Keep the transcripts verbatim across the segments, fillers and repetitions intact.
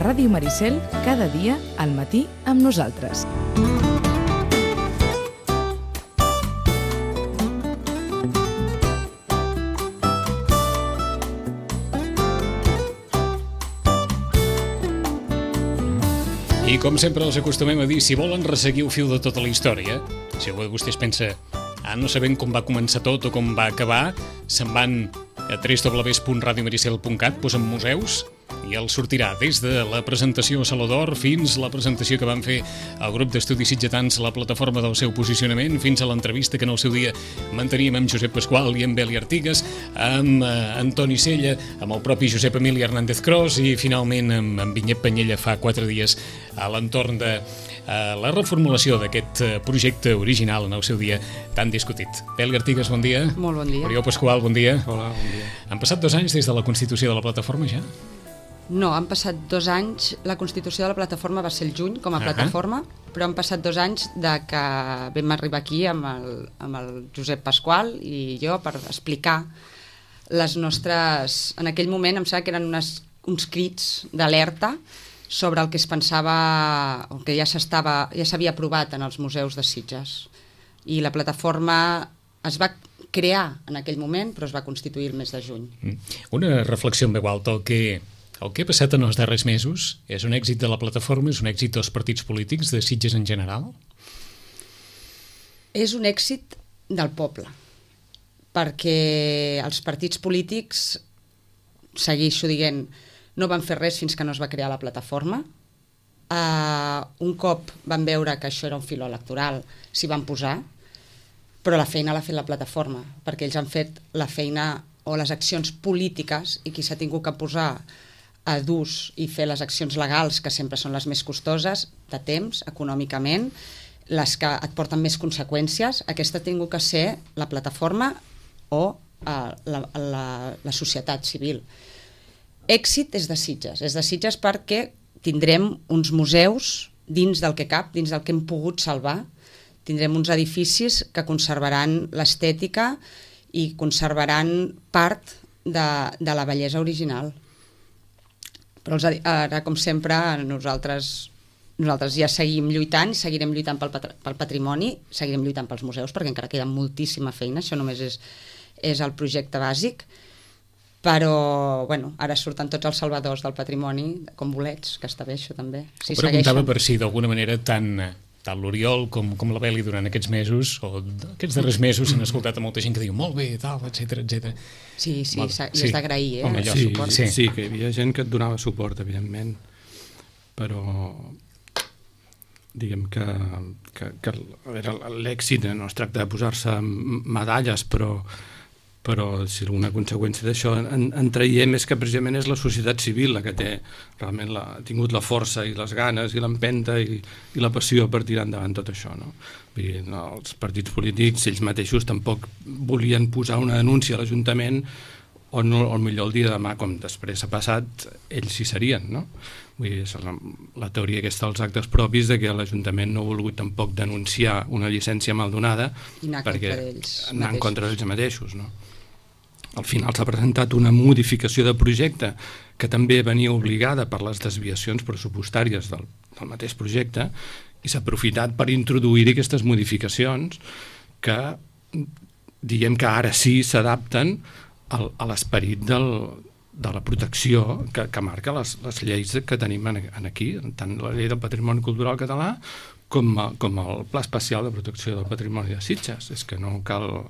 Ràdio Maricel, cada dia al matí amb nosaltres. I com sempre els acostumem a dir, si volen resseguir el fil de tota la història, si algú de vostès pensa, ah, no sabem com va començar tot o com va acabar, se'n van a w w w punt radio maricel punt cat, posen museus, i els sortirà des de la presentació a Saló d'Or fins la presentació que van fer el grup d'estudis sitgetans, la plataforma del seu posicionament, fins a l'entrevista que en el seu dia manteníem amb Josep Pasqual i amb Beli Artigas, amb eh, Antoni Sella, amb el propi Josep Emili Hernández Cros i finalment amb, amb Vinyet Penyella fa quatre dies a l'entorn de eh, la reformulació d'aquest eh, projecte original en el seu dia tan discutit. Beli Artigas, bon dia. Molt bon dia. Oriol Pasqual, bon dia. Hola, bon dia. Han passat dos anys des de la constitució de la plataforma ja? No, han passat dos anys, la constitució de la plataforma va ser el juny com a uh-huh. plataforma, però han passat dos anys de que vam arribar aquí amb el, amb el Josep Pasqual i jo per explicar les nostres... En aquell moment em sembla que eren unes, uns crits d'alerta sobre el que es pensava, el que ja s'estava, ja s'havia aprovat en els museus de Sitges. I la plataforma es va crear en aquell moment, però es va constituir el mes de juny. Una reflexió en veu alta, el que... El que ha passat en els darrers mesos és un èxit de la plataforma, és un èxit dels partits polítics, de Sitges en general? És un èxit del poble, perquè els partits polítics, segueixo dient, no van fer res fins que no es va crear la plataforma. Uh, un cop van veure que això era un filó electoral, s'hi van posar, però la feina l'ha fet la plataforma, perquè ells han fet la feina o les accions polítiques i qui s'ha tingut que posar a d'ús i fer les accions legals, que sempre són les més costoses, de temps, econòmicament, les que et porten més conseqüències, aquesta ha tingut que ser la plataforma o uh, la, la, la societat civil. Èxit és de Sitges, és de Sitges perquè tindrem uns museus dins del que cap, dins del que hem pogut salvar, tindrem uns edificis que conservaran l'estètica i conservaran part de, de la bellesa original. Però els, ara, com sempre, nosaltres, nosaltres ja seguim lluitant, seguirem lluitant pel, pel patrimoni, seguirem lluitant pels museus, perquè encara queda moltíssima feina, això només és, és el projecte bàsic, però bueno, ara surten tots els salvadors del patrimoni, com bolets, que està bé això també. Si Ho preguntava segueixen... per si d'alguna manera tant... tant l'Oriol com, com la Beli durant aquests mesos, o aquests darrers mesos s'han escoltat a molta gent que diu molt bé, tal, etcètera, etcètera. Sí, sí, Molt, i sí. és d'agrair, eh? Home, el sí, suport. sí, sí, que hi havia gent que et donava suport, evidentment, però diguem que, que, que l'èxit no es tracta de posar-se medalles, però però si alguna conseqüència d'això en, en traiem és que precisament és la societat civil la que té realment la, ha tingut la força i les ganes i l'empenta i, i la passió per tirar endavant tot això, no? Vull dir, no, els partits polítics ells mateixos tampoc volien posar una denúncia a l'Ajuntament o no, o millor el dia de demà, com després ha passat, ells hi serien, no? Vull dir, és la, la teoria aquesta dels actes propis de que l'Ajuntament no ha volgut tampoc denunciar una llicència mal donada perquè anar en contra d'ells mateixos, no? Al final s'ha presentat una modificació de projecte que també venia obligada per les desviacions pressupostàries del, del mateix projecte i s'ha aprofitat per introduir aquestes modificacions que diguem que ara sí s'adapten al, a l'esperit del, de la protecció que, que marca les, les lleis que tenim en, en aquí, tant la llei del patrimoni cultural català com, com el Pla Especial de Protecció del Patrimoni de Sitges. És que no cal...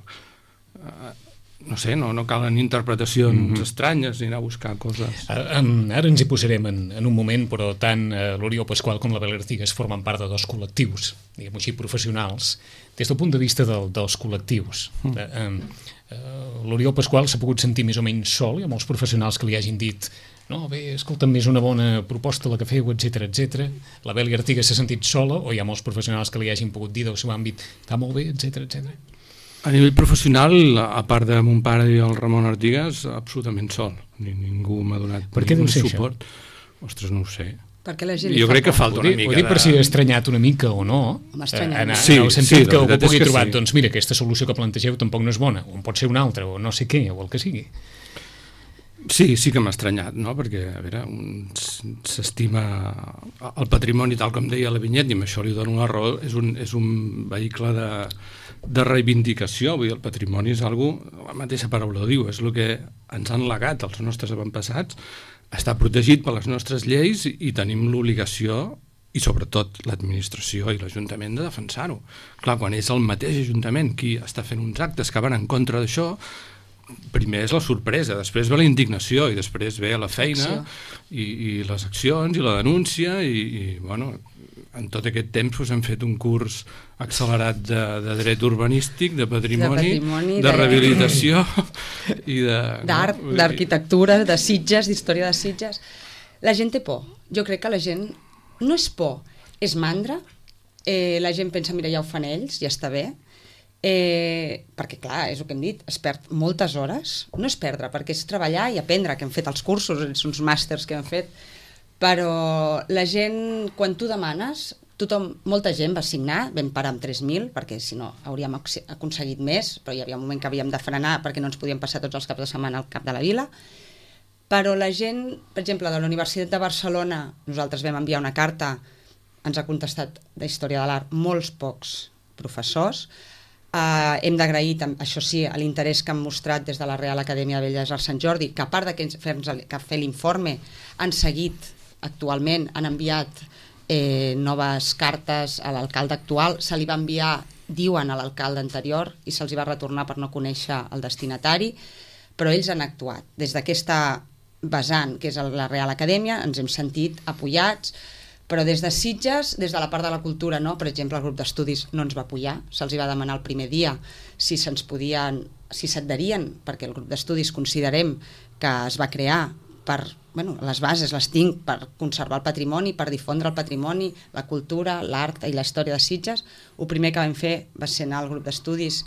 Eh, no sé, no, no calen interpretacions mm-hmm. estranyes ni anar a buscar coses. Ara, ara ens hi posarem en, en un moment, però tant eh, l'Oriol Pasqual com la Beli Artigas formen part de dos col·lectius, diguem-ho així, professionals, des del punt de vista del, dels col·lectius. Mm. Eh, eh, L'Oriol Pasqual s'ha pogut sentir més o menys sol, hi ha molts professionals que li hagin dit no, bé, escolta'm, és una bona proposta la que feu, etcètera, etcètera. La Beli Artigas s'ha sentit sola, o hi ha molts professionals que li hagin pogut dir del seu àmbit, està molt bé, etcètera, etcètera. A nivell professional, a part de mon pare i el Ramon Artigas, absolutament sol. Ni, ningú m'ha donat per què deu ser suport. Això? Ostres, no ho sé. Perquè la gent jo crec que falta una mica. Ho dic per si he estranyat una mica o no, en, sí, en el sentit sí, que algú pugui trobar, sí. doncs mira, aquesta solució que plantegeu tampoc no és bona, o en pot ser una altra, o no sé què, o el que sigui. Sí, sí que m'ha estranyat, no? Perquè, a veure, un s'estima el patrimoni, tal com deia la Vinyet, i amb això li dono la raó, és un, és un vehicle de, de reivindicació. Vull dir, el patrimoni és algo, la mateixa paraula ho diu, és el que ens han legat els nostres avantpassats, està protegit per les nostres lleis i tenim l'obligació, i sobretot l'administració i l'Ajuntament, de defensar-ho. Clar, quan és el mateix Ajuntament qui està fent uns actes que van en contra d'això, primer és la sorpresa, després ve la indignació i després ve la feina i, i les accions i la denúncia i, i bueno, en tot aquest temps pues, hem fet un curs accelerat de, de dret urbanístic, de patrimoni, de, patrimoni, de, de rehabilitació i de... d'art, no? d'arquitectura, de Sitges, d'història de Sitges. La gent té por. Jo crec que la gent no és por, és mandra. Eh, la gent pensa, mira, ja ho fan ells, ja està bé. Eh, perquè clar, és el que hem dit, es perd moltes hores, no és perdre, perquè és treballar i aprendre, que hem fet els cursos, uns màsters que hem fet, però la gent, quan tu demanes, tothom, molta gent va signar, vam parar amb tres mil, perquè si no hauríem aconseguit més, però hi havia un moment que havíem de frenar perquè no ens podíem passar tots els caps de setmana al cap de la vila, però la gent, per exemple, de la Universitat de Barcelona, nosaltres vam enviar una carta, ens ha contestat de Història de l'Art molts pocs professors. Uh, hem d'agrair, això sí, l'interès que han mostrat des de la Real Acadèmia de Belles Arts Sant Jordi, que a part de que fer, que fer l'informe han seguit actualment, han enviat eh, noves cartes a l'alcalde actual, se li va enviar, diuen, a l'alcalde anterior i se'ls va retornar per no conèixer el destinatari, però ells han actuat. Des d'aquesta vessant, que és la Real Acadèmia, ens hem sentit apoyats, però des de Sitges, des de la part de la cultura, no? Per exemple, el grup d'estudis no ens va apoyar, se'ls va demanar el primer dia si se'ns podien, si s'adherien, perquè el grup d'estudis considerem que es va crear per, bueno, les bases les tinc per conservar el patrimoni, per difondre el patrimoni, la cultura, l'art i la història de Sitges. El primer que vam fer va ser anar al grup d'estudis,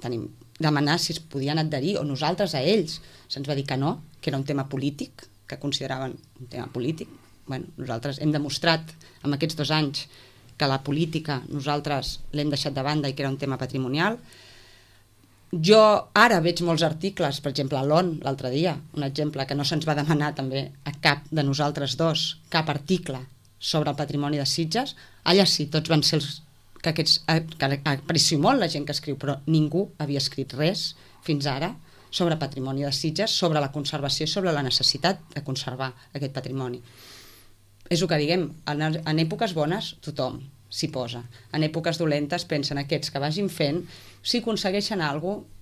tenim, demanar si es podien adherir, o nosaltres a ells. Se'ns va dir que no, que era un tema polític, que consideraven un tema polític. Bueno, nosaltres hem demostrat en aquests dos anys que la política nosaltres l'hem deixat de banda i que era un tema patrimonial. Jo ara veig molts articles, per exemple a l'O N l'altre dia, un exemple que no se'ns va demanar també a cap de nosaltres dos, cap article sobre el patrimoni de Sitges. Allà sí, tots van ser els que aquests, que aprecio molt la gent que escriu, però ningú havia escrit res fins ara sobre patrimoni de Sitges, sobre la conservació i sobre la necessitat de conservar aquest patrimoni. És el que diguem, en, en èpoques bones tothom s'hi posa, en èpoques dolentes pensen aquests que vagin fent, si aconsegueixen alguna cosa,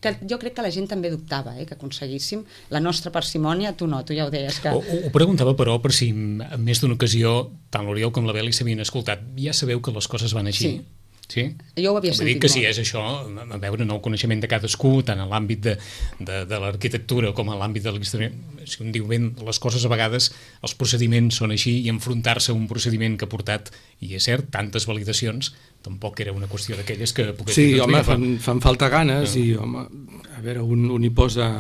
que jo crec que la gent també dubtava, eh, que aconseguíssim la nostra parsimònia, tu no, tu ja ho deies. Que... Ho, ho preguntava, però, per si en més d'una ocasió, tant l'Oriol com la Beli s'havien escoltat, ja sabeu que les coses van així? Sí. Sí? Jo ho havia sentit molt. Que molt. sí, és això, a veure, en el coneixement de cadascú, tant en l'àmbit de, de, de l'arquitectura com en l'àmbit de la història, si un diu ben, les coses a vegades, els procediments són així, i enfrontar-se a un procediment que ha portat, i és cert, tantes validacions, tampoc era una qüestió d'aquelles que pogués... Sí, home, fan, fan falta ganes, no. I, home, a veure, un, un hi posa...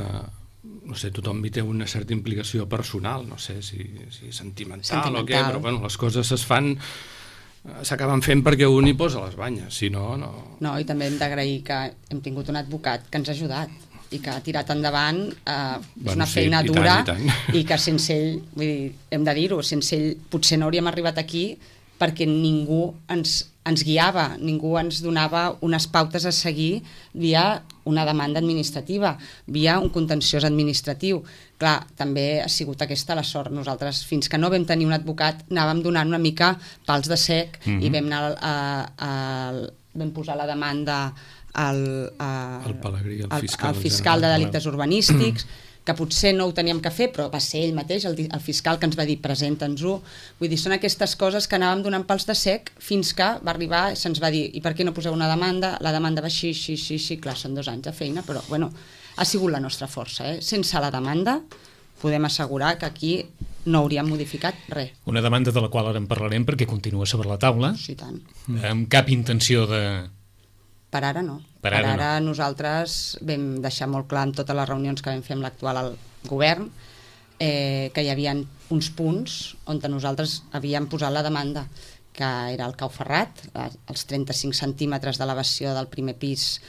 no sé, tothom hi té una certa implicació personal, no sé si, si sentimental, sentimental o què, però bueno, les coses es fan... s'acaben fent perquè un hi posa les banyes, si no, no... No, i també hem d'agrair que hem tingut un advocat que ens ha ajudat i que ha tirat endavant, eh, és bueno, una sí, feina i dura tant, i, tant. I que sense ell, vull dir, hem de dir-ho, sense ell potser no hauríem arribat aquí perquè ningú ens, ens guiava, ningú ens donava unes pautes a seguir via una demanda administrativa, via un contenciós administratiu. Clar, també ha sigut aquesta la sort. Nosaltres, fins que no vam tenir un advocat, anàvem donant una mica pals de sec, mm-hmm. i vam, anar a, a, a, vam posar la demanda al, a, el Pelegrí, el fiscal, al fiscal de delictes urbanístics, que potser no ho teníem que fer, però va ser ell mateix, el, el fiscal, que ens va dir presenta'ns-ho. Vull dir, són aquestes coses que anàvem donant pals de sec fins que va arribar, se'ns va dir, i per què no poseu una demanda? La demanda va així, així, així, així. Clar, són dos anys de feina, però bueno, ha sigut la nostra força. Eh? Sense la demanda podem assegurar que aquí no hauríem modificat res. Una demanda de la qual ara en parlarem perquè continua sobre la taula. Sí, tant. Amb cap intenció de... Per ara no. Per ara, ara, per ara no. Nosaltres vam deixar molt clar en totes les reunions que vam fer amb l'actual govern eh, que hi havia uns punts on nosaltres havíem posat la demanda, que era el cau ferrat, els trenta-cinc centímetres d'elevació del primer pis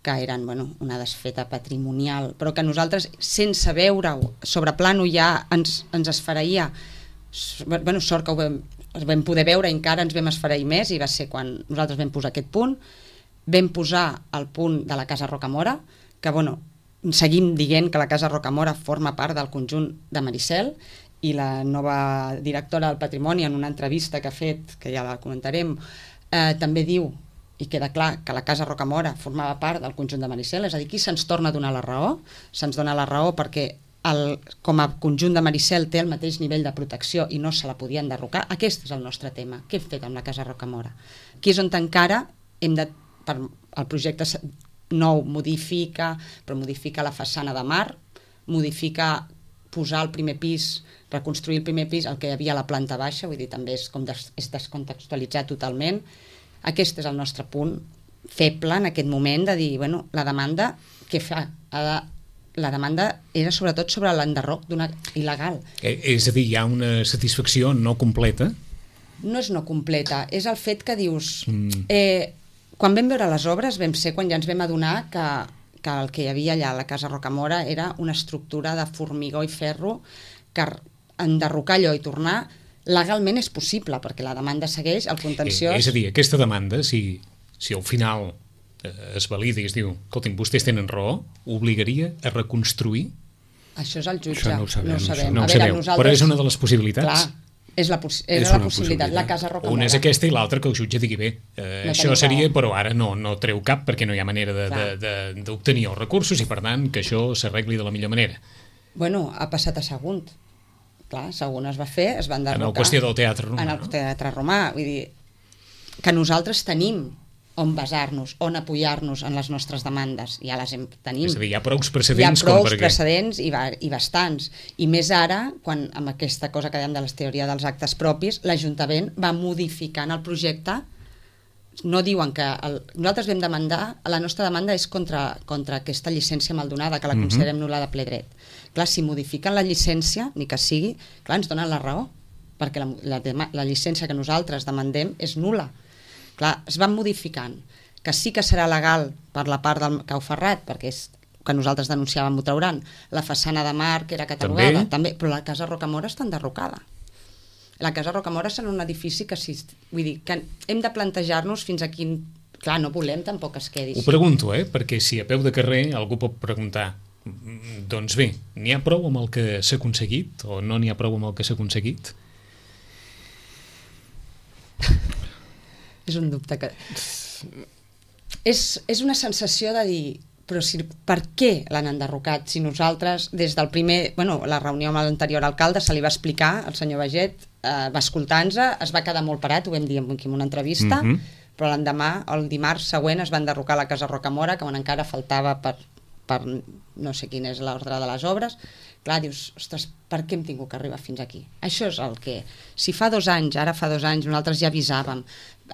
que eren bueno, una desfeta patrimonial, però que nosaltres, sense veure-ho, sobre plano ja ens, ens esfereïa. Bueno, sort que ho vam, ho vam poder veure i encara ens vam esfereir més, i va ser quan nosaltres vam posar aquest punt. Vam posar el punt de la Casa Rocamora, que bueno, seguim dient que la Casa Rocamora forma part del conjunt de Maricel, i la nova directora del Patrimoni, en una entrevista que ha fet, que ja la comentarem, eh, també diu, i queda clar, que la Casa Rocamora formava part del conjunt de Maricel, és a dir, aquí se'ns torna a donar la raó, se'ns dona la raó perquè el, com a conjunt de Maricel té el mateix nivell de protecció i no se la podien derrocar. Aquest és el nostre tema. Què hem fet amb la Casa Rocamora? Aquí és on encara hem de, per, el projecte nou modifica, però modifica la façana de mar, modifica posar el primer pis, reconstruir el primer pis, el que hi havia a la planta baixa, vull dir, també és, com des, és descontextualitzar totalment. Aquest és el nostre punt feble en aquest moment, de dir, bueno, la demanda, què fa? Ha de, la demanda era sobretot sobre l'enderroc d'una il·legal. Eh, és a dir, hi ha una satisfacció no completa? No és no completa, és el fet que dius... Mm. Eh, quan vam veure les obres vam ser quan ja ens vam adonar que, que el que hi havia allà a la Casa Rocamora era una estructura de formigó i ferro que enderrocar allò i tornar legalment és possible, perquè la demanda segueix, el contenciós... Eh, és a dir, aquesta demanda, si, si al final eh, es valida i es diu, escolti'm, vostès tenen raó, obligaria a reconstruir? Això és el jutge. Això no ho sabem. No ho sabem. No ho veure, sabeu, nosaltres... però és una de les possibilitats. Clar, és la, poss és és la una possibilitat. possibilitat. La Casa Rocamora. Una és aquesta i l'altra que el jutge digui, bé, eh, no això seria, raó. però ara no, no treu cap perquè no hi ha manera d'obtenir els recursos i, per tant, que això s'arregli de la millor manera. Bueno, ha passat a Sagunt. Clar, Sagunt es va fer, es va enderrocar. En el qüestió del teatre romà. En el no? teatre romà. Vull dir, que nosaltres tenim on basar-nos, on apoyar-nos en les nostres demandes. Ja les hem, tenim. És a dir, hi ha prou precedents. Hi ha prou perquè... precedents i, va, i bastants. I més ara, quan amb aquesta cosa que dèiem de la teoria dels actes propis, l'Ajuntament va modificant el projecte. No diuen que... El, nosaltres vam demandar, la nostra demanda és contra, contra aquesta llicència maldonada, que la considerem nul·la de ple dret. Clar, si modifiquen la llicència, ni que sigui, clar, ens donen la raó, perquè la, la, la llicència que nosaltres demandem és nul·la. Clar, es van modificant, que sí que serà legal per la part del Cau Ferrat, perquè és que nosaltres denunciàvem, ho trauran, la façana de mar, que era catalogada, també, també però la Casa Rocamora està enderrocada. La Casa Rocamora serà un edifici que, si, vull dir, que hem de plantejar-nos fins a quin... Clar, no volem tampoc que es quedi. Ho pregunto, eh? Perquè si a peu de carrer algú pot preguntar, doncs bé, n'hi ha prou amb el que s'ha aconseguit o no n'hi ha prou amb el que s'ha aconseguit? És un dubte que... És, és una sensació de dir, però si, per què l'han enderrocat? Si nosaltres, des del primer... Bueno, la reunió amb l'anterior alcalde se li va explicar, el senyor Baget eh, va escoltar-nos, es va quedar molt parat, ho vam dir en una entrevista, mm-hmm. però l'endemà, el dimarts següent, es va enderrocar la Casa Rocamora, que encara faltava per, per no sé quin és l'ordre de les obres. Clar, dius, ostres, per què hem tingut que arribar fins aquí? Això és el que... Si fa dos anys, ara fa dos anys, nosaltres ja avisàvem,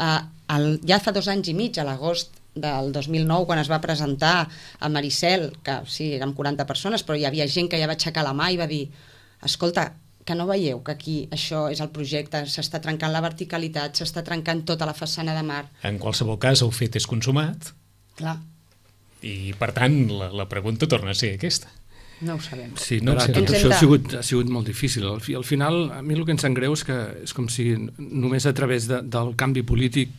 eh, el, ja fa dos anys i mig, a l'agost del dos mil nou, quan es va presentar a Maricel, que sí, érem quaranta persones, però hi havia gent que ja va aixecar la mà i va dir, escolta, que no veieu que aquí això és el projecte, s'està trencant la verticalitat, s'està trencant tota la façana de mar. En qualsevol cas, el fet és consumat. Clar. I, per tant, la, la pregunta torna a ser aquesta. No ho sabem. Sí, no però sé. tot Ens això hem de- ha sigut, ha sigut molt difícil. Al, fi, al final, a mi el que em sap greu és que és com si només a través de, del canvi polític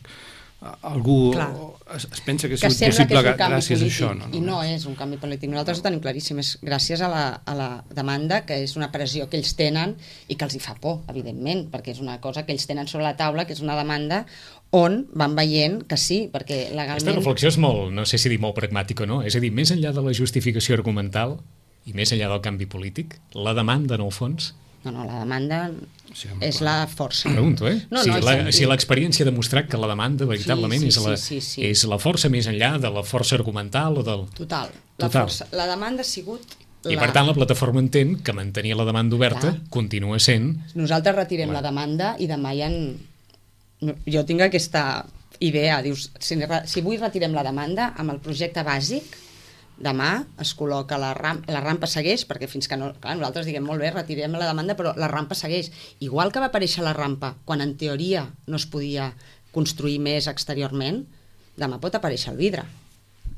a- algú Clar. es, es pensa que ha Que sigut sembla que possible és un canvi gràcies polític, a això. No, i no és un canvi polític. Nosaltres ho tenim claríssim, és gràcies a la, a la demanda, que és una pressió que ells tenen i que els hi fa por, evidentment, perquè és una cosa que ells tenen sobre la taula, que és una demanda on van veient que sí, perquè legalment... Aquesta reflexió és molt, no sé si dir molt pragmàtica o no, és a dir, més enllà de la justificació argumental i més enllà del canvi polític, la demanda, en el fons... No, no, la demanda Sí, home, és clar. la força. Pregunto, eh? No, si no, la- és- si l'experiència ha demostrat que la demanda, veritablement, Sí, sí, és, la, sí, sí, sí. és la força més enllà de la força argumental o del... Total. La, Total. Força, la demanda ha sigut... I la... per tant la plataforma entén que mantenir la demanda oberta Clar. continua sent... Nosaltres retirem Clar. la demanda i demà ja... En... no, Jo tinc aquesta idea, dius, si, re- si avui retirem la demanda, amb el projecte bàsic, demà es col·loca la, ram la rampa segueix, perquè fins que no... Clar, nosaltres diguem, molt bé, retirem la demanda, però la rampa segueix. Igual que va aparèixer la rampa, quan en teoria no es podia construir més exteriorment, demà pot aparèixer el vidre.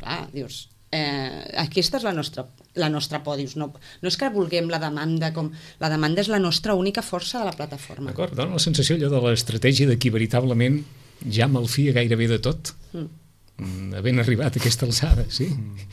clar, dius, eh, aquesta és la nostra, la nostra por, dius, no, no és que vulguem la demanda, com la demanda és la nostra única força de la plataforma. D'acord, dona la sensació allò de l'estratègia de qui veritablement ja malfia gairebé de tot, mm. havent arribat a aquesta alçada, sí? Mm.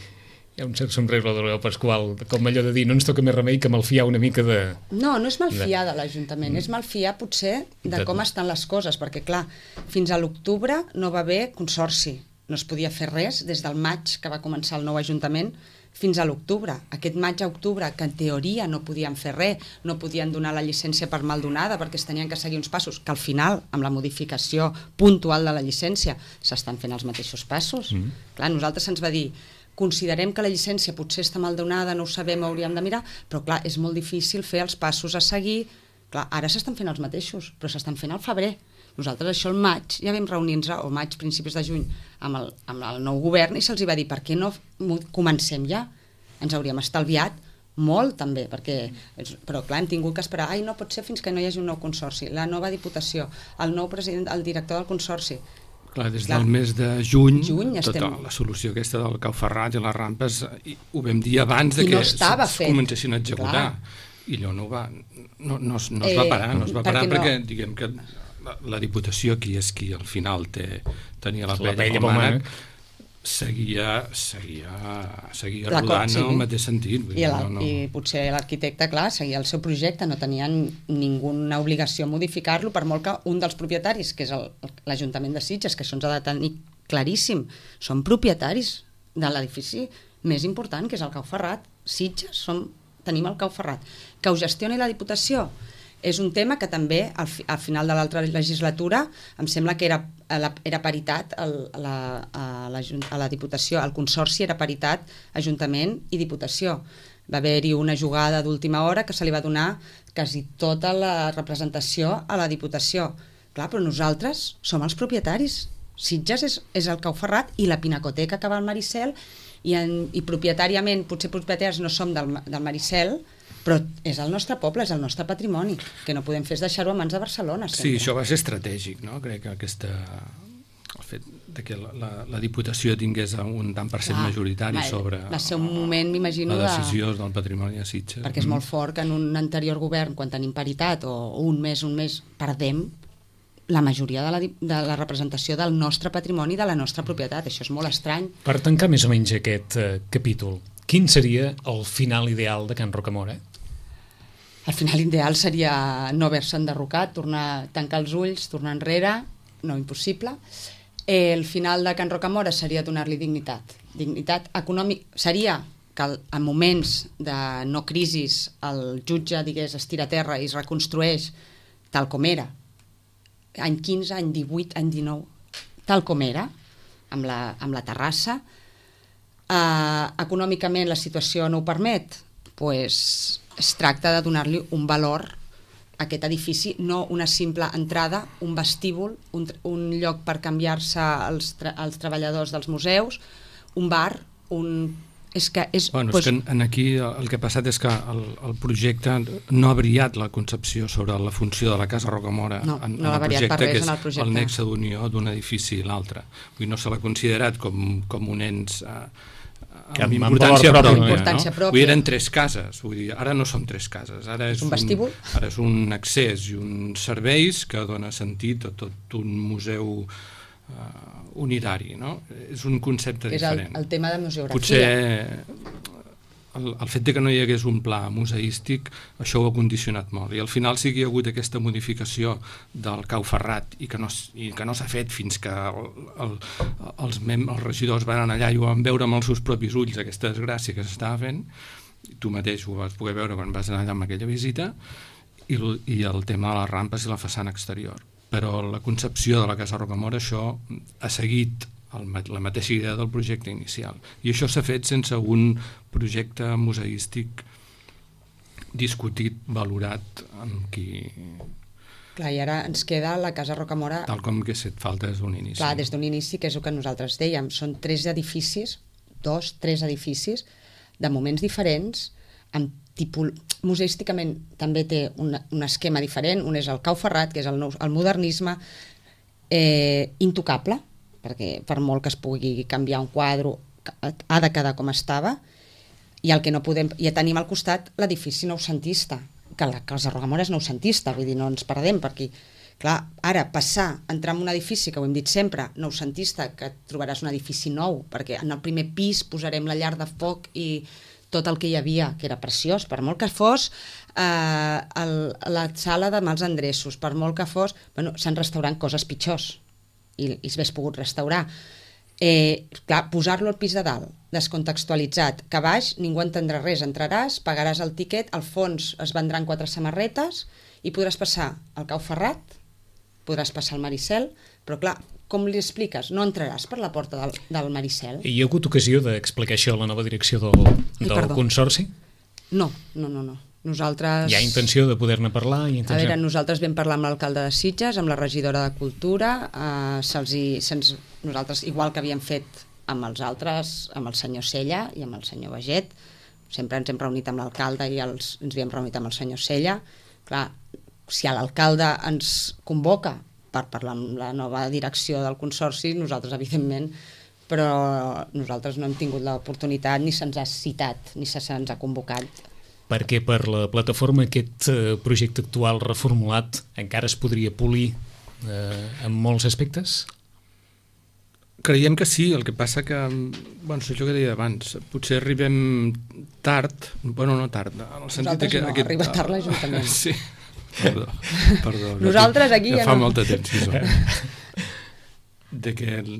Hi ha un cert sombrero de Leo Pasqual, com allò de dir, no ens toca més remei que malfiar una mica de... No, no és malfiar de l'Ajuntament, mm. és malfiar potser de, de com estan les coses, perquè clar, fins a l'octubre no va haver consorci, no es podia fer res des del maig que va començar el nou Ajuntament fins a l'octubre. Aquest maig a octubre, que en teoria no podien fer res, no podien donar la llicència per mal donada perquè es tenien que seguir uns passos, que al final, amb la modificació puntual de la llicència, s'estan fent els mateixos passos. Mm. Clar, nosaltres se'ns va dir, considerem que la llicència potser està mal donada, no ho sabem, hauríem de mirar, però clar, és molt difícil fer els passos a seguir. Clar, ara s'estan fent els mateixos, però s'estan fent al febrer. Nosaltres això el maig ja vam reunir-nos, o maig, principis de juny, amb el, amb el nou govern i se'ls va dir, per què no comencem ja? Ens hauríem estalviat molt també, perquè, però clar, hem tingut que esperar, ai, no pot ser fins que no hi hagi un nou consorci, la nova diputació, el nou president, el director del consorci. Clar, des clar, del mes de juny, juny tota estem... la solució aquesta del Cau Ferrat i les rampes, ho vam dir abans de I que no es comencessin a executar. Clar. I allò no, va, no, no, no es eh, va parar, no es va parar perquè, perquè no. diguem que la, la Diputació, qui és qui al final té, tenia la pella com mànec, seguia, seguia, seguia rodant sí. en el mateix sentit. I, el, no, no. I potser l'arquitecte, clar, seguia el seu projecte, no tenia ninguna obligació a modificar-lo, per molt que un dels propietaris, que és l'Ajuntament de Sitges, que això ens ha de tenir claríssim, són propietaris de l'edifici més important, que és el Cau Ferrat. Sitges, som, tenim el Cau Ferrat. Que ho gestioni la Diputació és un tema que també al, fi, al final de l'altra legislatura em sembla que era, era paritat el, a, la, a, la, a la Diputació, el Consorci era paritat Ajuntament i Diputació. Va haver-hi una jugada d'última hora que se li va donar quasi tota la representació a la Diputació. Clar, però nosaltres som els propietaris. Sitges és, és el Cau Ferrat i la Pinacoteca que va al Maricel i, en, i propietàriament, potser propietaris no som del, del Maricel, però és el nostre poble, és el nostre patrimoni, que no podem fer és deixar-ho a mans de Barcelona. Sempre. Sí, això va ser estratègic, no? Crec que aquesta, el fet de que la, la, la Diputació tingués un tant per cent ah, majoritari va, sobre va ser un moment, m'imagino, la decisió de... del patrimoni a Sitges. Perquè és molt fort que en un anterior govern, quan tenim paritat, o un mes, un mes, perdem la majoria de la, de la representació del nostre patrimoni, de la nostra propietat. Això és molt estrany. Per tancar més o menys aquest eh, capítol, quin seria el final ideal de Can Rocamora? El final ideal seria no haver-se enderrocat, tornar a tancar els ulls, tornar enrere, no impossible. El final de Can Rocamora seria donar-li dignitat. Dignitat econòmica seria que en moments de no crisis el jutge, digués, es tira a terra i es reconstrueix tal com era. Any quinze, any divuit, any dinou, tal com era, amb la, amb la terrassa. Eh, econòmicament la situació no ho permet, pues, es tracta de donar-li un valor a aquest edifici, no una simple entrada, un vestíbul, un, un lloc per canviar-se els, tra els treballadors dels museus, un bar, un... És que és, bueno, pues... és que en aquí el que ha passat és que el, el projecte no ha variat la concepció sobre la funció de la Casa Rocamora no, en, no en, el projecte, res que és en el projecte, el nexe d'unió d'un edifici i l'altre. No se l'ha considerat com, com un ens eh, amb importància pròpia. Amb importància pròpia. No? Vull dir, eren tres cases, vull dir, ara no són tres cases, ara és un vestíbul, un, ara és un accés i uns serveis que dona sentit a tot un museu uh, unitari, no? És un concepte és diferent. És el, el tema de museografia. Potser el, el fet de que no hi hagués un pla museístic, això ho ha condicionat molt. I al final sí que hi ha hagut aquesta modificació del Cau Ferrat i que no, i que no s'ha fet fins que el, el, els, mem, els regidors van anar allà i ho van veure amb els seus propis ulls, aquesta desgràcia que s'estava fent. Tu mateix ho vas poder veure quan vas anar allà amb aquella visita, i, i el tema de les rampes i la façana exterior. Però la concepció de la Casa Rocamora, això ha seguit el, la mateixa idea del projecte inicial. I això s'ha fet sense un projecte museístic discutit, valorat amb qui... Clar, i ara ens queda la Casa Rocamora... Tal com que s'ha fet falta des d'un inici. Clar, des d'un inici, que és el que nosaltres dèiem. Són tres edificis, dos, tres edificis, de moments diferents, amb tipus... Museísticament també té un, un esquema diferent. Un és el Cau Ferrat, que és el, nou, el modernisme, eh, intocable, perquè per molt que es pugui canviar un quadre, ha de quedar com estava, i el que no podem, ja tenim al costat l'edifici noucentista, que la Casa Rocamora és noucentista, vull dir, no ens perdem per aquí. Clar, ara, passar, entrar en un edifici, que ho hem dit sempre, noucentista, que trobaràs un edifici nou, perquè en el primer pis posarem la llar de foc i tot el que hi havia, que era preciós, per molt que fos eh, el, la sala de mals endreços, per molt que fos... Bueno, s'han restaurant coses pitjors, i, i s'hagués pogut restaurar. Eh, clar, posar-lo al pis de dalt, descontextualitzat, que a baix ningú entendrà res, entraràs, pagaràs el tiquet, al fons es vendran quatre samarretes i podràs passar al Cau Ferrat, podràs passar al Maricel, però clar, com li expliques? No entraràs per la porta del, del Maricel? Hi ha hagut ocasió d'explicar això a la nova direcció del, del Ai, Consorci? No, no, no, no. Nosaltres... Hi ha intenció de poder-ne parlar? I intenció... A veure, nosaltres vam parlar amb l'alcalde de Sitges, amb la regidora de Cultura, eh, se'ls hi, se'ns, nosaltres, igual que havíem fet amb els altres, amb el senyor Sella i amb el senyor Baget, sempre ens hem reunit amb l'alcalde i els, ens havíem reunit amb el senyor Sella. Clar, si l'alcalde ens convoca per parlar amb la nova direcció del Consorci, nosaltres, evidentment, però nosaltres no hem tingut l'oportunitat, ni se'ns ha citat, ni se se'ns ha convocat. Perquè per la plataforma aquest eh, projecte actual reformulat encara es podria polir eh, en molts aspectes? Creiem que sí, el que passa que, bueno, això que deia abans, potser arribem tard, bueno, no tard, en el sentit nosaltres que... no, aquest, arriba tard l'Ajuntament. Sí, perdó, perdó. Nosaltres aquí ja, ja ja fa no. molta temps que som. De que el,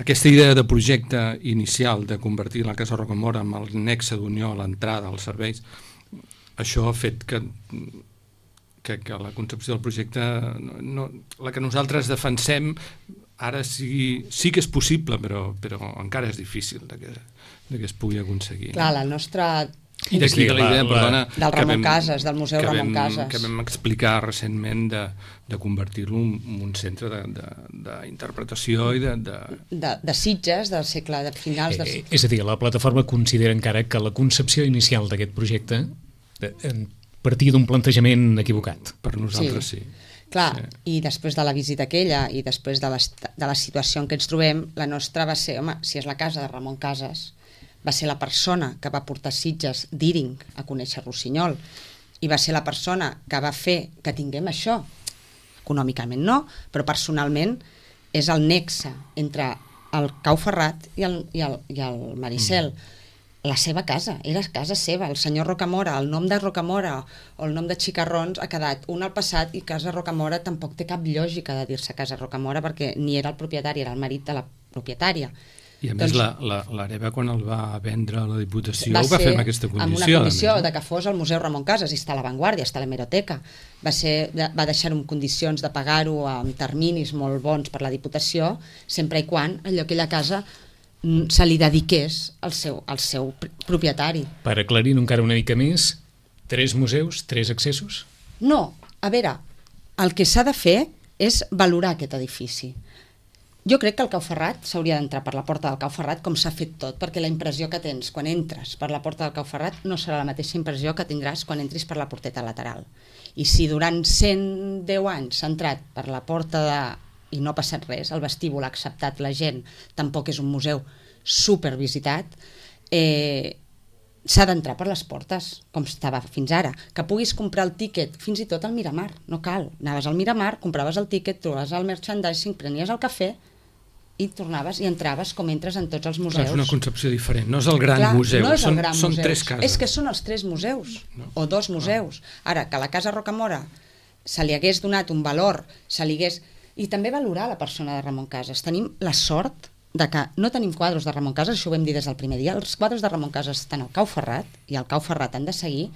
aquesta idea de projecte inicial de convertir la Casa Rocamora en el nexe d'unió a l'entrada als serveis, això ha fet que, que, que la concepció del projecte, no, no, la que nosaltres defensem, ara sí, sí que és possible, però, però encara és difícil de que, de que es pugui aconseguir. Clar, la nostra... I d'aquí de la idea, perdona... Del Ramon Casas, del Museu Ramon Casas. Que vam explicar recentment de, de convertir-lo en un centre d'interpretació i de... De, de, de Sitges, del segle de finals... De... Eh, és a dir, la plataforma considera encara que la concepció inicial d'aquest projecte partia d'un plantejament equivocat. Per nosaltres sí. sí. Clar, sí. I després de la visita aquella i després de, de la situació en què ens trobem, la nostra va ser, home, si és la casa de Ramon Casas, va ser la persona que va portar Sitges d'Íring a conèixer Rossinyol i va ser la persona que va fer que tinguem això. Econòmicament no, però personalment és el nexe entre el Cau Ferrat i el, i el, i el Maricel. Mm. La seva casa, era casa seva, el senyor Rocamora, el nom de Rocamora o el nom de Xicarrons ha quedat un al passat i Casa Rocamora tampoc té cap lògica de dir-se Casa Rocamora perquè ni era el propietari, era el marit de la propietària. I a més doncs, l'Areva quan el va vendre a la Diputació va ho va fer amb aquesta condició. Amb una condició de que fos el Museu Ramon Casas, i està a l'avantguàrdia, està a l'hemeroteca. Va, ser, va deixar-ho en condicions de pagar-ho amb terminis molt bons per la Diputació, sempre i quan allò aquella casa se li dediqués al seu, al seu propietari. Per aclarir-ho encara una mica més, tres museus, tres accessos? No, a veure, el que s'ha de fer és valorar aquest edifici. Jo crec que el Cau Ferrat s'hauria d'entrar per la porta del Cau Ferrat com s'ha fet tot, perquè la impressió que tens quan entres per la porta del Cau Ferrat no serà la mateixa impressió que tindràs quan entris per la porteta lateral. I si durant cent deu anys s'ha entrat per la porta de... i no ha passat res, el vestíbul ha acceptat la gent, tampoc és un museu supervisitat, eh, s'ha d'entrar per les portes, com estava fins ara. Que puguis comprar el tíquet, fins i tot al Miramar, no cal. Anaves al Miramar, compraves el tíquet, trobaves el merchandising, prenies el cafè i tornaves i entraves com entres en tots els museus. Clar, és una concepció diferent, no és el gran Clar, museu, no és són, el gran són museu. tres cases. És que són els tres museus, no. o dos museus. Ara, que a la Casa Rocamora se li hagués donat un valor, se li hagués... I també valorar la persona de Ramon Casas. Tenim la sort de que no tenim quadros de Ramon Casas, això ho vam dir des del primer dia, els quadros de Ramon Casas estan al Cau Ferrat, i al Cau Ferrat han de seguir,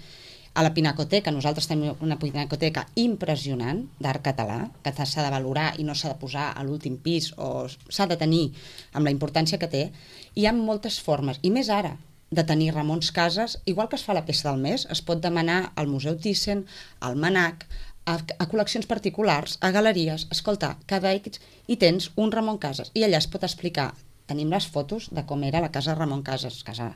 a la Pinacoteca, nosaltres tenim una pinacoteca impressionant d'art català, que s'ha de valorar i no s'ha de posar a l'últim pis, o s'ha de tenir amb la importància que té. Hi ha moltes formes, i més ara, de tenir Ramons Casas, igual que es fa la peça del mes, es pot demanar al Museu Thyssen, al Manac, a, a col·leccions particulars, a galeries, escolta, cada X, i tens un Ramon Casas, i allà es pot explicar, tenim les fotos de com era la casa Ramon Casas, casa.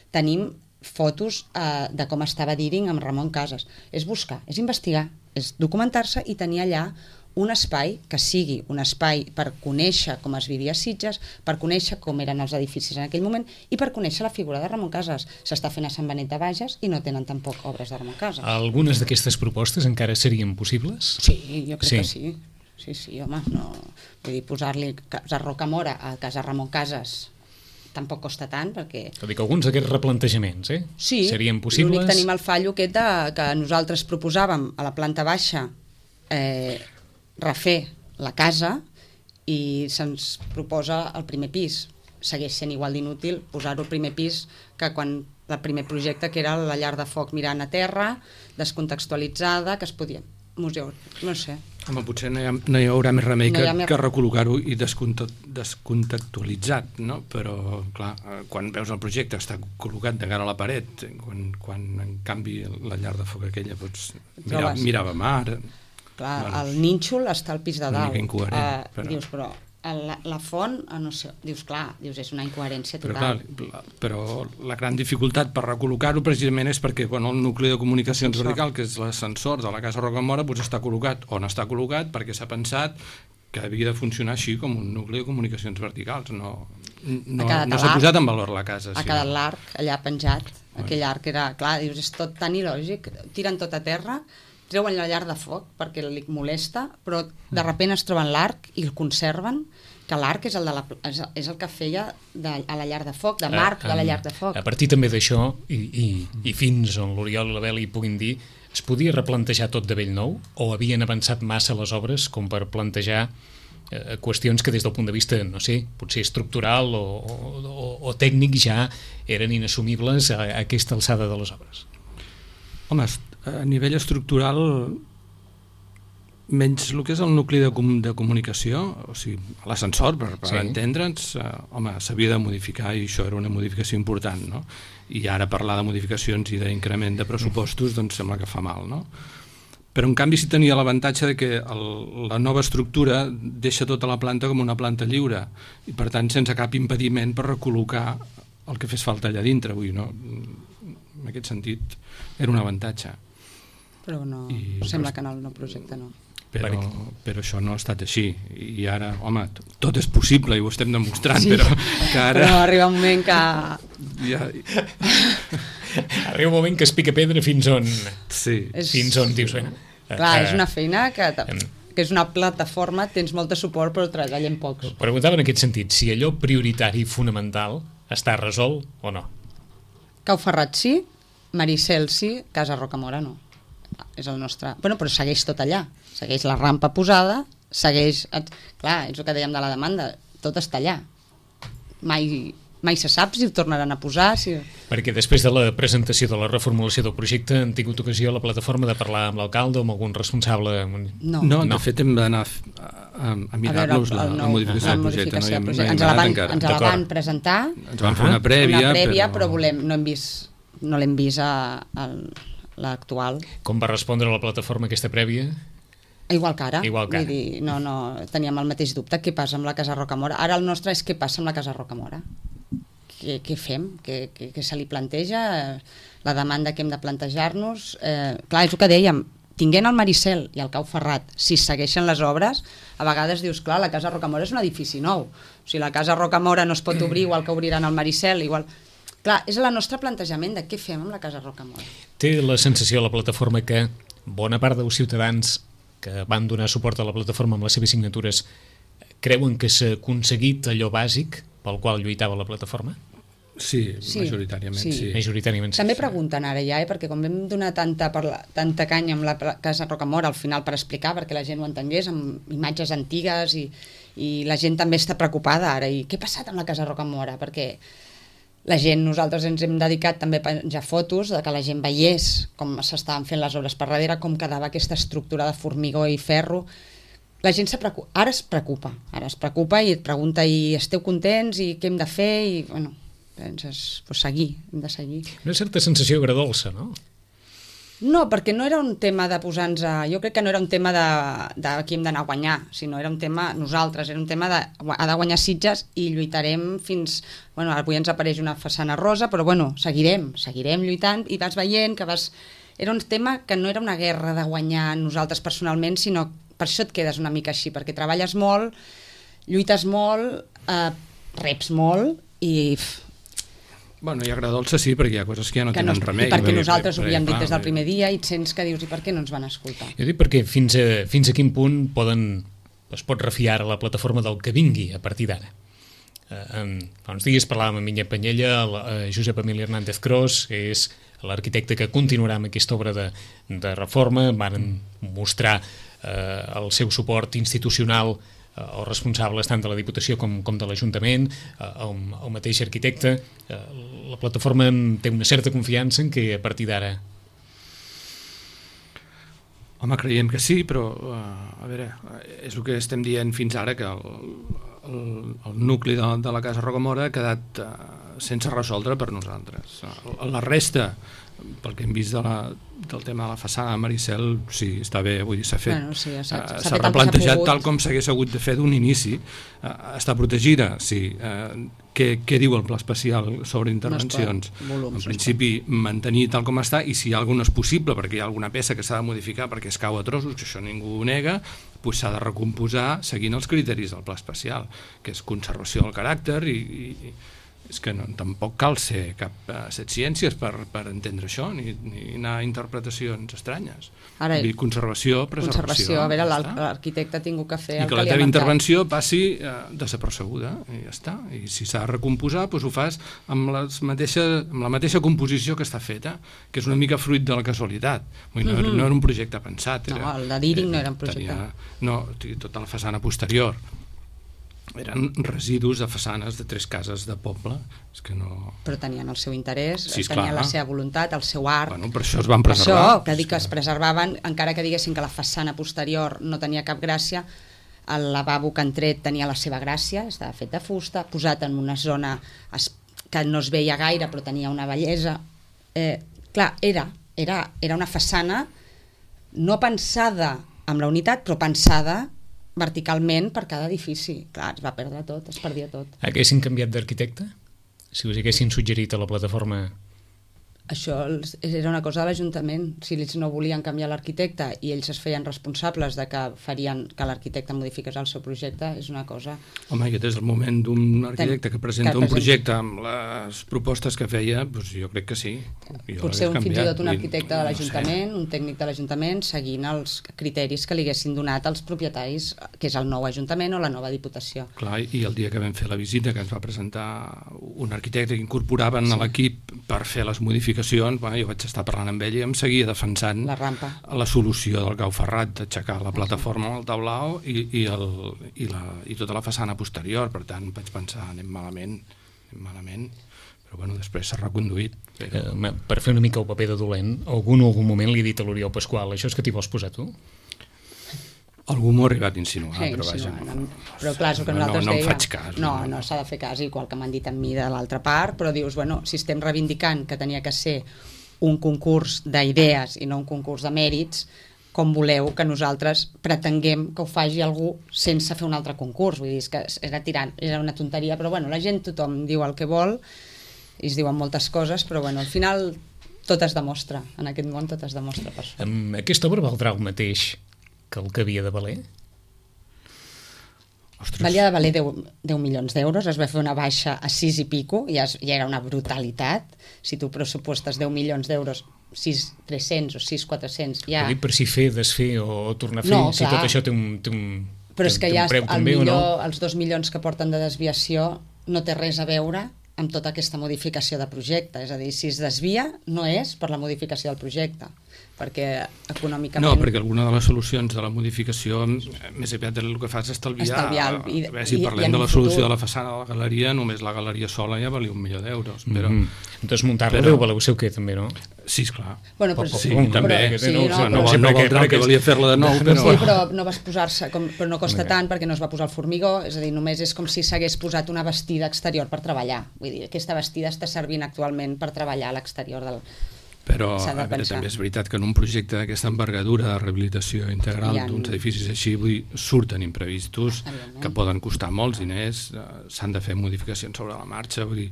Tenim fotos eh, de com estava d'Íring amb Ramon Casas, és buscar, és investigar, és documentar-se i tenir allà un espai que sigui un espai per conèixer com es vivia a Sitges, per conèixer com eren els edificis en aquell moment i per conèixer la figura de Ramon Casas. S'està fent a Sant Benet de Bages i no tenen tampoc obres de Ramon Casas. Algunes d'aquestes propostes encara serien possibles? Sí, jo crec Sí. que sí. Sí, sí, home, no... Vull dir, posar-li Casa Rocamora a Casa Ramon Casas tampoc costa tant, perquè... Vull dir que alguns d'aquests replantejaments eh? Sí, serien possibles? l'únic tenim el fallo aquest de, que nosaltres proposàvem a la planta baixa eh, refer la casa i se'ns proposa el primer pis. Segueix sent igual d'inútil posar-ho al primer pis que quan el primer projecte, que era la llar de foc mirant a terra, descontextualitzada, que es podia... museu, no sé. Home, potser no hi, ha, no hi haurà més remei No que, hi ha més- que recol·locar-ho i descontextualitzat, no? Però, clar, eh, quan veus el projecte està col·locat de cara a la paret, quan, quan en canvi la llar de foc aquella doncs, mirava, Trobes. mirava mar... Clar, Bueno, el nínxol està al pis de una dalt. mica incoherent, Eh, però- Dius, però la, la font, eh, no sé, dius, clar, dius, és una incoherència Però, total. clar, la, però la gran dificultat per recol·locar-ho precisament és perquè bueno, el nucli de comunicacions Ascensor. vertical, que és l'ascensor de la Casa Rocamora, doncs està col·locat on està col·locat perquè s'ha pensat que havia de funcionar així com un nucli de comunicacions verticals. No, no, quedat no a s'ha l'arc. posat en valor la casa. Ha sí, quedat no? l'arc allà penjat, aquell arc era, clar, dius, és tot tan il·lògic, tiren tot a terra, treuen la llar de foc perquè li molesta, però de sobte es troben l'arc i el conserven, que l'arc és, el de la, és, és el que feia de, a la llar de foc, de marc de la llar de foc. A partir també d'això, i, i, i fins on l'Oriol i la Beli puguin dir, es podia replantejar tot de bell nou o havien avançat massa les obres com per plantejar eh, qüestions que des del punt de vista, no sé, potser estructural o, o, o tècnic ja eren inassumibles a, a aquesta alçada de les obres? Home, a nivell estructural, menys el que és el nucli de, com, de comunicació, o sigui, l'ascensor, per, per Sí. entendre'ns, eh, home, s'havia de modificar i això era una modificació important, no? I ara parlar de modificacions i d'increment de pressupostos, doncs sembla que fa mal, no? Però en canvi sí tenia l'avantatge de que el, la nova estructura deixa tota la planta com una planta lliure i per tant sense cap impediment per recol·locar el que fes falta allà dintre. Vull dir, no? En aquest sentit era un avantatge. Però no, I- sembla que en el nou projecte no. Però, Perquè- però això no ha estat així i ara, home, t- tot és possible i ho estem demostrant, Sí. però que ara Però arriba un moment que... ja, Arriba un moment que es pica pedra fins on, sí, És... fins on dius, bueno, Clar, eh, és una feina que, em- que és una plataforma, tens molt de suport però treballem pocs. preguntava en aquest sentit, si allò prioritari i fonamental està resolt o no? Cau Ferrat sí, Maricel sí, Casa Rocamora no. És el nostre... Bueno, però segueix tot allà. Segueix la rampa posada, segueix... Clar, és el que dèiem de la demanda, tot està allà. Mai, mai se sap si ho tornaran a posar, si... Perquè després de la presentació de la reformulació del projecte han tingut ocasió a la plataforma de parlar amb l'alcalde o amb algun responsable. No. no, de No. fet hem d'anar a, a, a mirar-nos la, el la nou- modificació la del projecte, modificació no, del hi hem, no projecte. hi hem Ens la anat van, encara. ens la D'acord. van presentar, Ens van fer una prèvia, una prèvia però, però, volem, no hem vist, no l'hem vist a, a l'actual. Com va respondre la plataforma aquesta prèvia? Igual que ara. Igual que ara. Vull dir, no, no, teníem el mateix dubte. Què passa amb la Casa Rocamora? Ara el nostre és què passa amb la Casa Rocamora. Què, què fem? Què, què, què se li planteja? La demanda que hem de plantejar-nos? Eh, clar, és el que dèiem, tinguent el Maricel i el Cau Ferrat, si segueixen les obres, a vegades dius, clar, la Casa Rocamora és un edifici nou. O sigui, la Casa Rocamora no es pot obrir igual que obriran el Maricel, igual... Clar, és el nostre plantejament de què fem amb la Casa Rocamora. Té la sensació a la plataforma que bona part dels ciutadans que van donar suport a la plataforma amb les seves signatures creuen que s'ha aconseguit allò bàsic pel qual lluitava la plataforma? sí, Sí, majoritàriament, sí. sí. Majoritàriament sí. També pregunten ara ja, eh, perquè com vam donar tanta, parla, tanta canya amb la pla- Casa Rocamora al final per explicar, perquè la gent ho entengués, amb imatges antigues i, i la gent també està preocupada ara. I què ha passat amb la Casa Rocamora? Perquè la gent, nosaltres ens hem dedicat també a penjar fotos de que la gent veiés com s'estaven fent les obres per darrere, com quedava aquesta estructura de formigó i ferro. La gent se preocupa, ara es preocupa, ara es preocupa i et pregunta i esteu contents i què hem de fer i bueno, penses, pues seguir, hem de seguir. Una certa sensació agradolça, no? No, perquè no era un tema de posar-nos a... Jo crec que no era un tema de, de qui hem d'anar a guanyar, sinó era un tema, nosaltres, era un tema de, ha de guanyar Sitges i lluitarem fins... Bueno, avui ens apareix una façana rosa, però bueno, seguirem, seguirem lluitant i vas veient que vas... Era un tema que no era una guerra de guanyar nosaltres personalment, sinó per això et quedes una mica així, perquè treballes molt, lluites molt, eh, reps molt i... Bueno, i agradolça sí, perquè hi ha coses que ja no que tenen no, remei. I perquè perquè, nosaltres ho perquè, havíem dit clar, des del primer dia i et sents que dius, i per què no ens van escoltar? Jo dic perquè fins a, fins a quin punt poden, es pot refiar a la plataforma del que vingui a partir d'ara. Eh, fa uns dies parlàvem amb Minya Panyella, el, eh, Josep Emili Hernández Cros, que és l'arquitecte que continuarà amb aquesta obra de, de reforma, van mostrar eh, el seu suport institucional eh, els responsables tant de la Diputació com, com de l'Ajuntament, eh, el, el mateix arquitecte. Eh, la plataforma té una certa confiança en que a partir d'ara... Home, creiem que sí, però uh, a veure, és el que estem dient fins ara, que el, el, el nucli de, de la Casa Rocamora ha quedat uh, sense resoldre per nosaltres. Uh, la resta, pel que hem vist de la, del tema de la façana de Maricel, sí, està bé, vull dir, s'ha fet, Bueno, sí, s'ha- s'ha uh, fet s'ha el que s'ha replantejat pogut. tal com s'hagués hagut de fer d'un inici. Uh, està protegida, sí. Uh, què, què diu el pla especial sobre intervencions? No es pot, volums, no en es principi, mantenir tal com està, i si hi ha alguna és possible, perquè hi ha alguna peça que s'ha de modificar perquè es cau a trossos, que això ningú ho nega, doncs s'ha de recomposar seguint els criteris del pla especial, que és conservació del caràcter i, i és que no, tampoc cal ser cap uh, set ciències per, per entendre això, ni, ni anar a interpretacions estranyes. Ara, Vull dir, conservació, preservació. Conservació, a veure, ja l'ar- està. l'arquitecte ha tingut que fer I el que que la li ha teva mancat. intervenció passi eh, desapercebuda, i ja està. I si s'ha de recompondre, doncs ho fas amb, les mateixa, amb la mateixa composició que està feta, que és una mica fruit de la casualitat. Vull dir, no, Mhm. no era un projecte pensat. Era, No, el de Díring no era un projecte. Tenia, no, tota la façana posterior eren residus de façanes de tres cases de poble. És que no... Però tenien el seu interès, Sí, tenien esclar. la seva voluntat, el seu art. Bueno, per això es van Per preservar. això, que dic que es preservaven, encara que diguessin que la façana posterior no tenia cap gràcia, el lavabo que han tret tenia la seva gràcia, estava fet de fusta, posat en una zona es, que no es veia gaire però tenia una bellesa. Eh, clar, era, era, era una façana no pensada amb la unitat, però pensada verticalment per cada edifici. Clar, es va perdre tot, es perdia tot. Haguessin canviat d'arquitecte? Si us haguessin suggerit a la plataforma... Això els- era una cosa de l'Ajuntament. Si ells no volien canviar l'arquitecte i ells es feien responsables de que farien que l'arquitecte modifiqués el seu projecte, és una cosa... Home, i des del moment d'un arquitecte que presenta que un presenta- projecte amb les propostes que feia, doncs jo crec que sí. Jo Potser un, l'hagués fins i canviat. tot un I arquitecte de no sé. l'Ajuntament, un tècnic de l'Ajuntament, seguint els criteris que li haguessin donat als propietaris, que és el nou Ajuntament o la nova Diputació. Clar, i el dia que vam fer la visita, que ens va presentar un arquitecte que incorporaven sí. a l'equip per fer les modificacions, bueno, jo vaig estar parlant amb ell i em seguia defensant La rampa. la solució del Gau Ferrat, d'aixecar la plataforma amb el taulao i, i, el, i, la, i tota la façana posterior. Per tant, vaig pensar, anem malament, anem malament, però bueno, després s'ha reconduït. Però... Eh, per fer una mica el paper de dolent, algun algun moment li ha dit a l'Oriol Pasqual, això és que t'hi vols posar tu? Algú m'ho ha arribat a insinuar, Sí, però vaja... insinuant, no, però clar, és el que no, nosaltres no, no dèiem. em faig cas. No, no s'ha de fer cas, igual que m'han dit a mi de l'altra part, però dius, bueno, si estem reivindicant que tenia que ser un concurs d'idees i no un concurs de mèrits, com voleu que nosaltres pretenguem que ho faci algú sense fer un altre concurs? Vull dir, és que era tirant, era una tonteria, però bueno, la gent, tothom diu el que vol i es diuen moltes coses, però bueno, al final tot es demostra, en aquest món tot es demostra per això. Amb aquesta obra valdrà el mateix que el que havia de valer? Ostres. Valia de valer deu milions d'euros, es va fer una baixa a sis i pico, ja, es, ja era una brutalitat. Si tu pressupostes deu milions d'euros, sis mil tres-cents o sis mil quatre-cents, ja... Vull dir, per si fer, desfer o tornar a fer, No, si clar. tot això té un, té un, Però té, és que té ja un preu el també o millor, no? els dos milions que porten de desviació no té res a veure amb tota aquesta modificació de projecte. És a dir, si es desvia, no és per la modificació del projecte, perquè econòmicament... No, perquè alguna de les solucions de la modificació, més aviat el que fa és estalviar... Estalviar el- i- a veure, si i- parlem i en de un la solució futur. de la façana de la galeria, només la galeria sola ja valia un milió d'euros. Però... Mm -hmm. Desmuntar-la però- deu valer el seu què, també, no? Sí, esclar. Bueno, però, Sí, Pum, també. però- sí, no, no, no, no, sé no per què, valdrà el que perquè- valia fer-la de nou, Sí, però... però no vas posar-se, com, però no costa tant perquè no es va posar el formigó, és a dir, només és com si s'hagués posat una vestida exterior per treballar. Vull dir, aquesta vestida està servint actualment per treballar a l'exterior del, Però a veure, també és veritat que en un projecte d'aquesta envergadura de rehabilitació integral ha... d'uns edificis així, vull dir, surten imprevistos que poden costar molts diners, s'han de fer modificacions sobre la marxa, vull dir,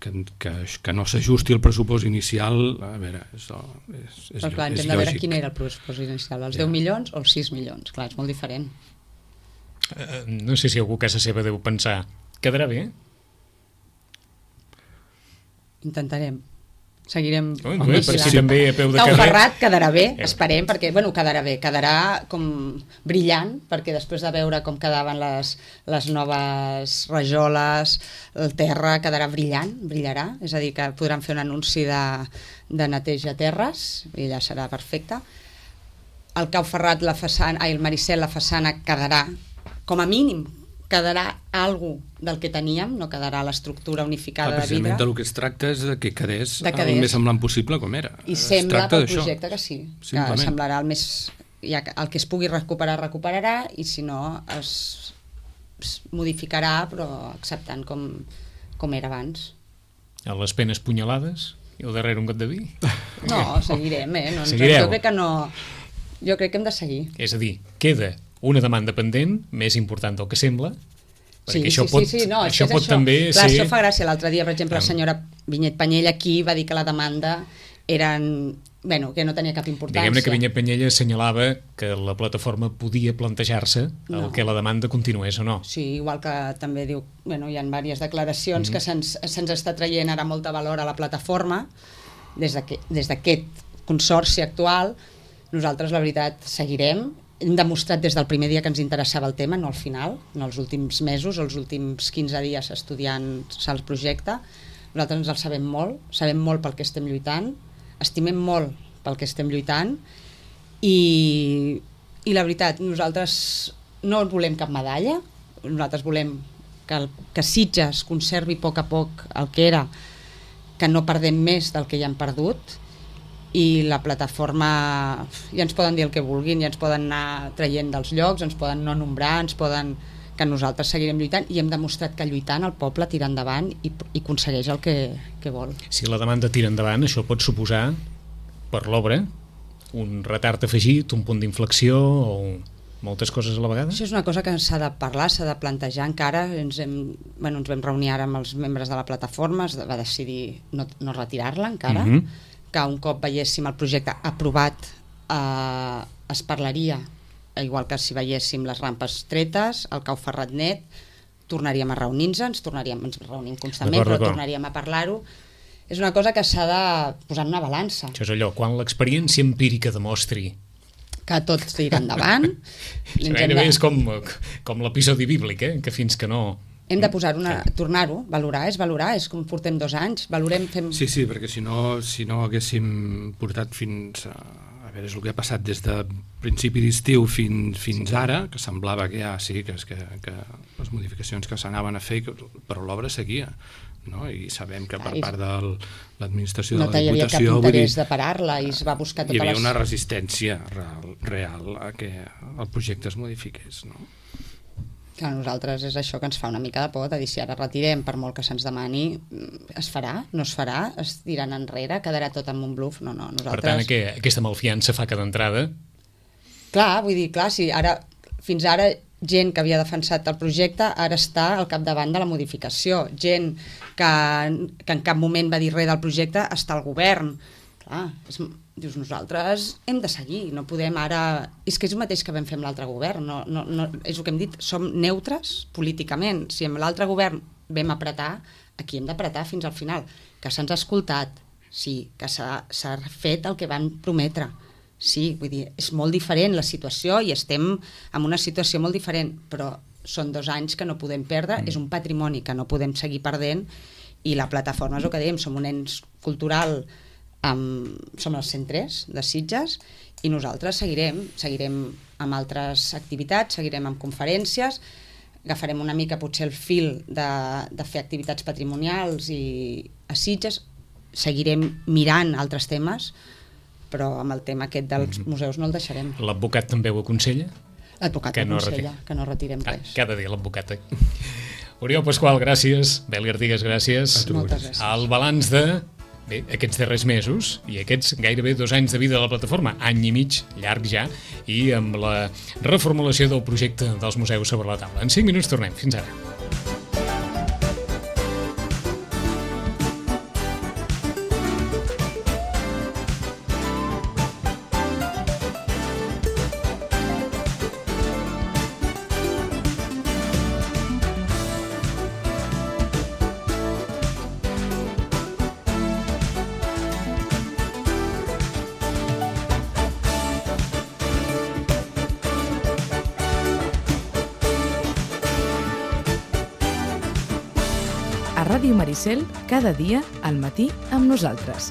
que, que, que no s'ajusti el pressupost inicial, a veure, és, és, és, però clar, és hem de veure quin era el pressupost inicial, els ja. deu milions o els sis milions, clar, és molt diferent. Uh, no sé si algú a casa seva deu pensar, quedarà bé? Intentarem. Seguirem oh, bé, per si també a peu de Cau carrer. Ferrat quedarà bé, esperem, perquè, bueno, quedarà bé, quedarà com brillant, perquè després de veure com quedaven les, les noves rajoles, el terra quedarà brillant, brillarà, és a dir, que podran fer un anunci de, de neteja terres, i ja serà perfecte. El Cau Ferrat, la façana, ai, el Maricel, la façana quedarà, com a mínim, quedarà algo del que teníem, no quedarà l'estructura unificada de vidre. Precisament del que es tracta és de que quedés, de quedés. el més semblant possible com era. I es sembla pel projecte que sí, simplement. Que semblarà el més... Ja, el que es pugui recuperar, recuperarà, i si no es, es modificarà, però acceptant com, com era abans. A les penes punyalades i al darrere un got de vi? No, seguirem, eh? No, Seguireu? Jo crec que no... Jo crec que hem de seguir. És a dir, queda una demanda pendent, més important del que sembla, perquè sí, això sí, pot, sí, sí, no, això pot això. també Clar, ser... això fa gràcia. L'altre dia, per exemple, la senyora Vinyet Penyella aquí va dir que la demanda eren... Bueno, que no tenia cap importància. Diguem-ne que Vinyet Penyella assenyalava que la plataforma podia plantejar-se no. el que la demanda continués o no. Sí, igual que també diu... Bueno, hi ha diverses declaracions mm-hmm. que se'ns se'ns està traient ara molta valor a la plataforma des d'aquest consorci actual. Nosaltres, la veritat, seguirem. Hem demostrat des del primer dia que ens interessava el tema, no al final, no els últims mesos, els últims quinze dies estudiant el projecte. Nosaltres ens el sabem molt, sabem molt pel que estem lluitant, estimem molt pel que estem lluitant i, i la veritat, nosaltres no volem cap medalla, nosaltres volem que, el, que Sitges conservi a poc a poc el que era, que no perdem més del que ja hem perdut, i la plataforma ja ens poden dir el que vulguin, ja ens poden anar traient dels llocs, ens poden no nombrar, ens poden... que nosaltres seguirem lluitant i hem demostrat que lluitant el poble tira endavant i, i aconsegueix el que, que vol. Si la demanda tira endavant, això pot suposar per l'obra un retard afegit, un punt d'inflexió o moltes coses a la vegada? Això és una cosa que s'ha de parlar, s'ha de plantejar encara. Ens, hem, bueno, ens vam reunir ara amb els membres de la plataforma, es va decidir no, no retirar-la encara, mm-hmm. que un cop veiéssim el projecte aprovat eh, es parlaria, igual que si veiéssim les rampes tretes, el Cau Ferrat net, tornaríem a reunir-nos, ens tornaríem, ens reunim constantment, però tornaríem a parlar-ho. És una cosa que s'ha de posar en una balança. Això és allò, quan l'experiència empírica demostri que tot tira endavant. Gairebé de... és com, com l'episodi bíblic, eh? Que fins que no... Hem de posar una, tornar-ho, valorar, és valorar, és com portem dos anys, valorem... Fem... Sí, sí, perquè si no, si no haguéssim portat fins a... A veure, és el que ha passat des de principi d'estiu fins, fins sí. ara, que semblava que ja sí, que, que, que les modificacions que s'anaven a fer, però l'obra seguia, no? I sabem que per part de l'administració no de la Diputació... No hi havia cap interès dir, de parar-la i es va buscar totes les... Hi havia una resistència real, real a que el projecte es modifiqués, no? Que a nosaltres és això que ens fa una mica de por, de dir si ara retirem per molt que se'ns demani, es farà, no es farà, es tiran enrere, quedarà tot en un bluff, no, no, nosaltres... Per tant, que aquesta malfiança fa que d'entrada... Clar, vull dir, clar, si ara, fins ara gent que havia defensat el projecte ara està al capdavant de la modificació, gent que, que en cap moment va dir res del projecte està al govern, clar, és... Dius, nosaltres hem de seguir, no podem ara... És que és el mateix que vam fer amb l'altre govern, no, no, no, és el que hem dit, som neutres políticament. Si amb l'altre govern vam apretar, aquí hem d'apretar fins al final. Que se'ns ha escoltat, sí, que s'ha fet el que van prometre. Sí, vull dir, és molt diferent la situació i estem en una situació molt diferent, però són dos anys que no podem perdre, mm. és un patrimoni que no podem seguir perdent i la plataforma és el que dèiem, som un ens cultural... Amb, som els cent tres de Sitges i nosaltres seguirem, seguirem amb altres activitats, seguirem amb conferències, agafarem una mica potser el fil de, de fer activitats patrimonials i a Sitges, seguirem mirant altres temes, però amb el tema aquest dels mm-hmm. museus no el deixarem. L'advocat també ho aconsella? L'advocat ho aconsella, no que no retirem res. Ah, cada dia l'advocat. Oriol Pasqual, gràcies. Beli Artigas, gràcies. Moltes gràcies. El balanç de bé, aquests darrers mesos i aquests gairebé dos anys de vida de la plataforma, any i mig, llarg ja, i amb la reformulació del projecte dels museus sobre la taula. En cinc minuts tornem. Fins ara. A Ràdio Maricel, cada dia al matí amb nosaltres.